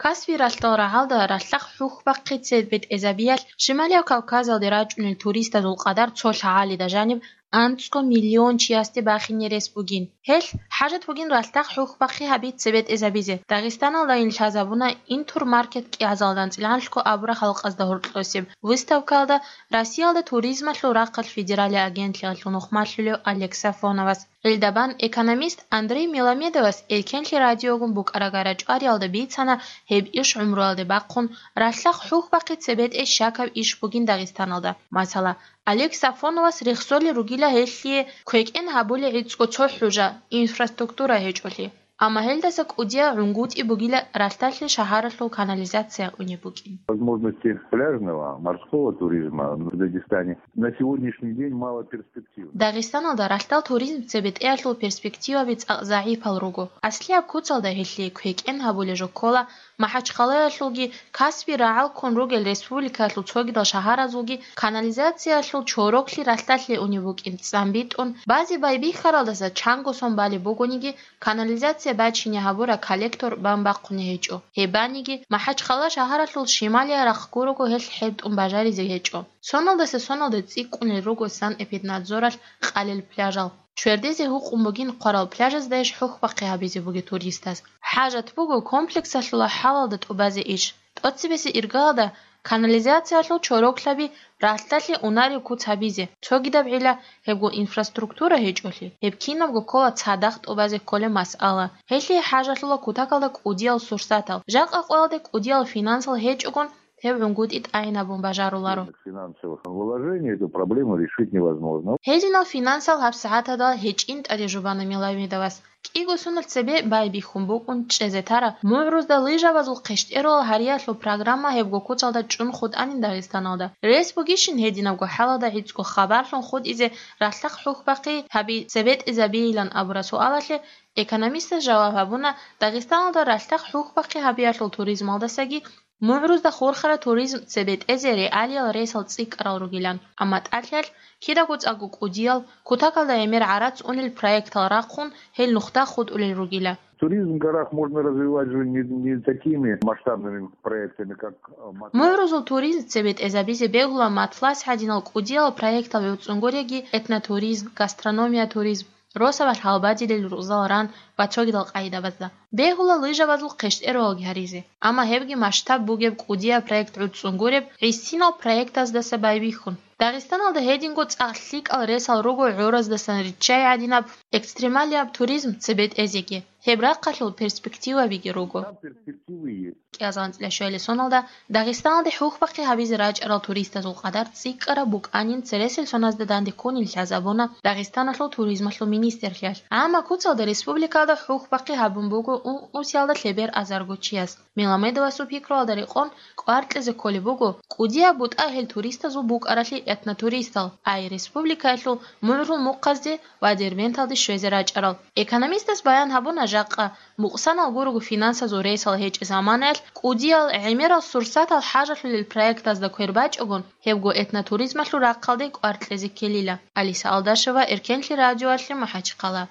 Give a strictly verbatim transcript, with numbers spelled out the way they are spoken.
Касби ралъдал рагӀалда ралъдахъ хӀухьбахъи цебетӀезабиялъ Шималияб Кавказалде рачӀунел туристазул къадар цо лъагӀалида жаниб анцӀго миллион чиясде бахине рес бугин. Гьелъ хӀажат бугин ралъдахъ хӀухьбахъи гьаби цебетӀезабизе. Дагъистаналдайин лъазабуна «Интурмаркет» кӀиазалда анцӀила анлъго абураб халкъазда гьоркьосеб выставкаялда Россиялда туризмалъул рахъалъ федералияб агентлъиялъул нухмалъулев Олег Сафоновас. Гьелдабан экономист Андрей Меламедовас Эркенлъи радиогун букӀарагара чӀвариялда бицана гьеб иш гӀумруялде бахъун, ралъдахъ хӀухьбахъи цебетӀей щакаб иш бугин Дагъистаналда. Масала, Олег Сафоновас рехсолел ругила гьелъие квекӀен гьабулей гӀицӀго цо хӀужа, инфраструктура гьечӀолъи. Амма гьелдаса кӀудиял гӀунгутӀи бугила ралъдалъе шагьаралъул канализация унеб букӀин. Возможности пляжного, морского туризма в Дагестане на сегодняшний день мало перспективны. Дагъистаналда ралъдал туризм цебетӀеялъул перспективаби цӀакъ загӀипал руго. Аслияб куцалда гьелъие квекӀен гьабулеб жо ккола МахӀачхъалаялъулги, Каспий рагӀал ккун ругел республикаялъул цогидал шагьаразулги канализациялъул чороклъи ралъдалъе унеб букӀин цӀамбитӀун, базе байбихьаралдаса чанго сон балеб бугониги, канализация бачине гьабураб коллектор бан бахъуни гьечӀо. Гьеб баниги, МахӀачхъала шагьаралъул шималияб рахъ гурого гьелъ хӀебтӀун бажаризе гьечӀо. Соналдаса соналда цӀикӀкӀунел руго санэпиднадзоралъ къалел пляжал. Чвердезе гьукъун бугин хъварал пляжазда иш хӀухьбахъи гьабизе бугеб туристаз. ХӀажат буго комплексалъула хӀалалда тӀубазе иш. ТӀоцебесеб иргаялда канализациялъул чороклъаби ралъдалъе унареб куц гьабизе, цогидаб гӀилла гьебго инфраструктура гьечӀолъи, гьеб кинабго ккола цадахъ тӀубазе кколеб масъала. Гьелъие хӀажалъула кутакалда кӀудиял сурсатал. Жакъа къоялде кӀудиял финансал гьечӀогун, гьеб гӀунгутӀи тӀагӀинабун бажаруларо. Финансовых вложений эту проблему решить невозможно. Гьединал финансал гьабсагӀаталда гьечӀин тӀаде жубана Меламедовас. КӀиго соналъ цебе байбихьун букӀун чӀезе тараб МугӀрузда лыжабазул хъищтӀерулал гьариялъул программа гьебго куцалда чӀун хутӀанин Дагъистаналда. Рес бугищин гьединабго хӀалалда гӀицӀго хабарлъун хутӀизе ралъдахъ хӀухьбахъи гьаби цебетӀезабейилан абураб суалалъе экономистас жаваб гьабуна, Дагъистаналда ралъдахъ хӀухьбахъи гьабиялъул туризмалдасаги МугӀрузда хурхараб туризм цебетӀезе реалиял ресал цӀикӀкӀарал ругилан, амма тӀалъиялъ кидаго цӀакъго кӀудиял, кутакалда гӀемер гӀарац унел проектал рахъун, гьел нухда хутӀулел ругила. Туризм в горах можно развивать же не, не такими масштабными проектами, как, э, Мат-, МугӀрузул туризм цебетӀезабизе бегьула Матлас гӀадинал кӀудиял проектал гӀуцӀунгуреги: этнотуризм, гастрономия туризм, росабалъ гьалбадилел рузал ран ва цогидал къагӀидабазда. Бегьула лыжабазул хъищтӀерулалги гьаризе, амма гьебги масштаб бугеб кӀудияб проект гӀуцӀунгуреб гӀисинал проектаздаса байбихьун. Дагъистаналда гьединго цӀакъ лъикӀал ресал руго гӀораздасан риччай гӀадинаб экстремалияб туризм цебетӀезеги, гьеб рахъалъул перспективабиги руго. Там перспективы есть. КӀиазалда анцӀила щуялил соналда Дагъистаналде хӀухьбахъи гьабизе рачӀарал туристазул къадар цӀикӀкӀараб букӀанин цересел соназда данде ккунин лъазабуна Дагъистаналъул туризмалъул министрлъиялъ. Амма куцалда республикалда хӀухьбахъи гьабун буго ун-, ункъусиялда лъебер азарго чияс. Меламедовасул пикруялда рекъон, кӀвар кьезе кколеб буго, кӀудияб бутӀа гьел туристазул букӀаралъи этнотуристал, ай республикаялъул мугӀрул мухъазде ва Дербенталде щвезе рачӀарал. Экономистас баян гьабуна, жакъа мукъсанал гурого финансазул ресал гьечӀеб заманаялъ кӀудиял гӀемерал сурсатал хӀажалъулел проектазда квер бачӀогун, гьебго этнотуризмалъул рахъалде кӀвар кьезе ккелила. Алиса Алдашева, Эркенлъи радиоялъе, МахӀачхъала.